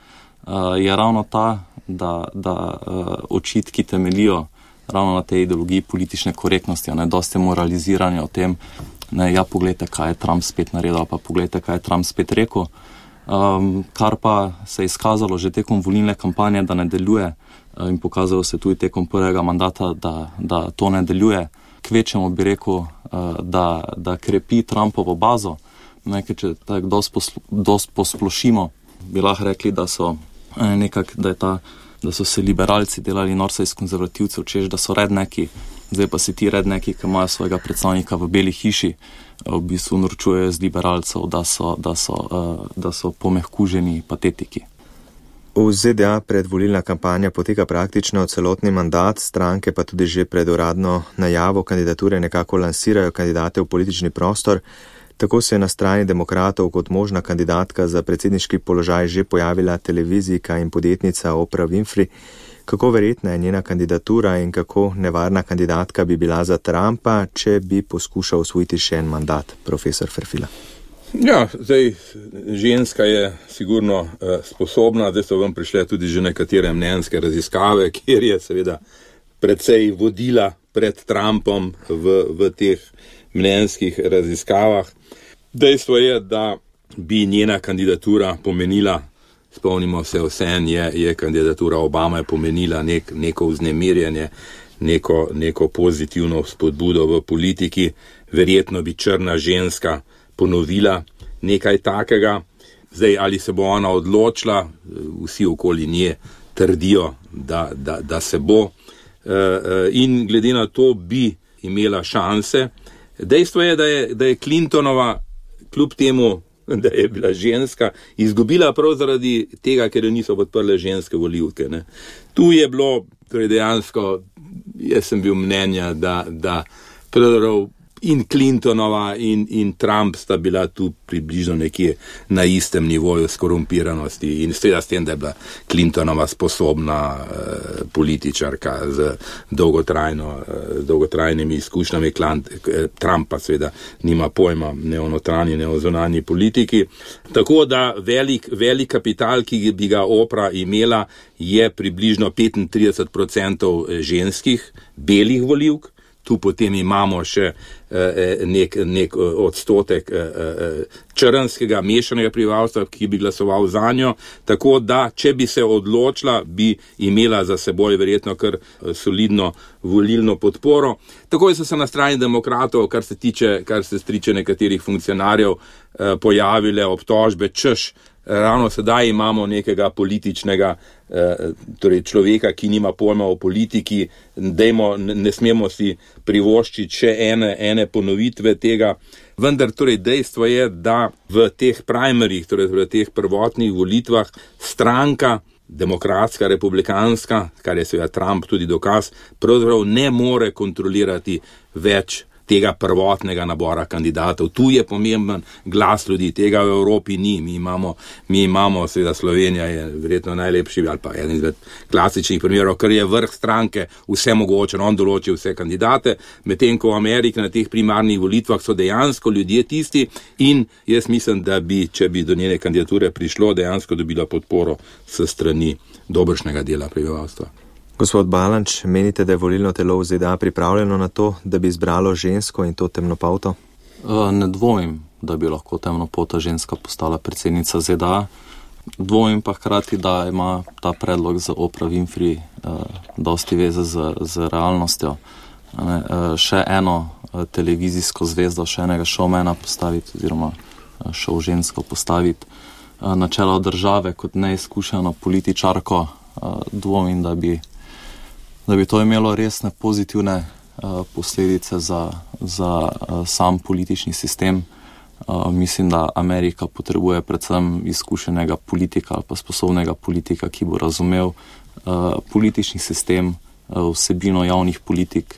je ravno ta, da očitki temelijo ravno na tej ideologiji politične korektnosti, a ne dosti moraliziranja o tem, ne, ja, poglejte, kaj je Trump spet naredil, pa poglejte, kaj je Trump spet rekel, kar pa se je izkazalo že tekom volilne kampanje, da ne deluje in pokazalo se tudi tekom prvega mandata, da to ne deluje. Kvečemo bi rekel, da krepi Trumpovo bazo, nekaj, če tako dost posplošimo, bi lahko rekli, da so se liberalci delali norca iz konzervativcev, češ, da so redneki, zdaj pa se ti redneki, ki imajo svojega predstavnika v Beli hiši, v bistvu norčujejo z liberalcev, da so pomehkuženi patetiki. V ZDA predvolilna kampanja poteka praktično celotni mandat, stranke pa tudi že pred uradno najavo kandidature nekako lansirajo kandidate v politični prostor. Tako se je na strani demokratov kot možna kandidatka za predsedniški položaj že pojavila televizijka in podjetnica Oprah Winfrey. Kako verjetna je njena kandidatura in kako nevarna kandidatka bi bila za Trumpa, če bi poskušal osvojiti še en mandat, profesor Ferfila? Ja, zdaj ženska je sigurno sposobna, zdaj so vam prišle tudi že nekatere mnenjske raziskave, kjer je seveda precej vodila pred Trumpom v teh mnenjskih raziskavah. Dejstvo je, da bi njena kandidatura pomenila, spomnimo se vseeno, je kandidatura Obama pomenila neko vznemirjanje, neko pozitivno spodbudo v politiki, verjetno bi črna ženska ponovila nekaj takega. Zdaj, ali se bo ona odločila, vsi okoli nje trdijo, da se bo. In glede na to bi imela šanse, Dejstvo je, da je Clintonova, kljub temu, da je bila ženska, izgubila prav zaradi tega, ker jo niso podprle ženske volivke. Ne. Tu je bilo, torej dejansko, jaz sem bil mnenja, da pravzaprav in Clintonova in Trump sta bila tu približno nekje na istem nivoju skorumpiranosti in seveda s tem, da je bila Clintonova sposobna političarka z dolgotrajnimi izkušnjami, Trump pa seveda nima pojma ne o notranji, ne o zunanji politiki. Tako da velik kapital, ki bi ga Oprah imela, je približno 35% ženskih, belih volivk. Tu potem imamo še nek odstotek črnskega mešanega prebivalstva, ki bi glasoval za njo, tako da, če bi se odločila, bi imela za seboj verjetno kar solidno volilno podporo. Tako so se na strani demokratov, kar se tiče nekaterih funkcionarjev, pojavile obtožbe, češ, ravno sedaj imamo nekega političnega, torej človeka, ki nima pojma o politiki, ne smemo si privoščiti še ene ponovitve tega, vendar torej dejstvo je, da v teh primaryjih, torej v teh prvotnih volitvah, stranka, demokratska, republikanska, kar je seveda Trump tudi dokaz, pravzaprav ne more kontrolirati več tega prvotnega nabora kandidatov. Tu je pomemben glas ljudi, tega v Evropi ni. Mi imamo, seveda Slovenija je verjetno najlepši ali pa eden izmed klasičnih primerov, ker je vrh stranke vse mogoče, on določi vse kandidate, medtem ko v Ameriki na teh primarnih volitvah so dejansko ljudje tisti in jaz mislim, da bi, če bi do njene kandidature prišlo, dejansko dobila podporo s strani dobršnega dela prebivalstva. Gospod Balanč, menite, da je volilno telo v ZDA pripravljeno na to, da bi izbralo žensko in to temnopolto? Ne dvomim, da bi lahko temnopolta ženska postala predsednica ZDA. Dvomim pa hkrati, da ima ta predlog za Oprah Winfrey dosti veze z realnostjo. Še eno televizijsko zvezdo, še enega showmana postaviti oziroma show žensko postaviti na čelo države kot neizkušeno političarko, dvomim, da bi to imelo resne pozitivne posledice za sam politični sistem. Mislim, da Amerika potrebuje predvsem izkušenega politika ali pa sposobnega politika, ki bo razumel politični sistem, vsebino javnih politik,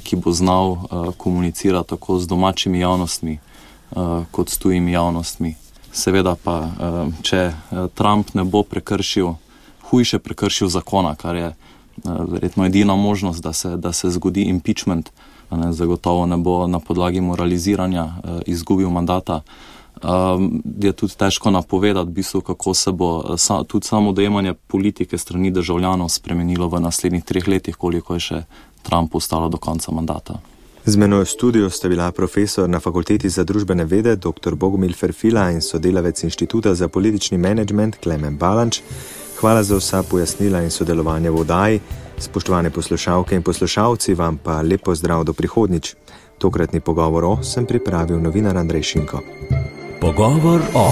ki bo znal komunicirati tako z domačimi javnostmi kot s tujimi javnostmi. Seveda pa, če Trump ne bo hujše prekršil zakona, kar je verjetno edina možnost, da se zgodi impeachment, zagotovo ne bo na podlagi moraliziranja izgubil mandata, je tudi težko napovedati, v bistvu, kako se bo tudi samo dojemanje politike strani državljanov spremenilo v naslednjih 3 letih, koliko je še Trump ostalo do konca mandata. Z menoj v studiu sta bila profesor na Fakulteti za družbene vede dr. Bogomil Ferfila in sodelavec Inštituta za politični menedžment Klemen Balanč. Hvala za vsa pojasnila in sodelovanje v oddaji. Spoštovane poslušalke in poslušalci, vam pa lep pozdrav do prihodnjič. Tokratni pogovor sem pripravil novinar Andrej Šinko. Pogovor o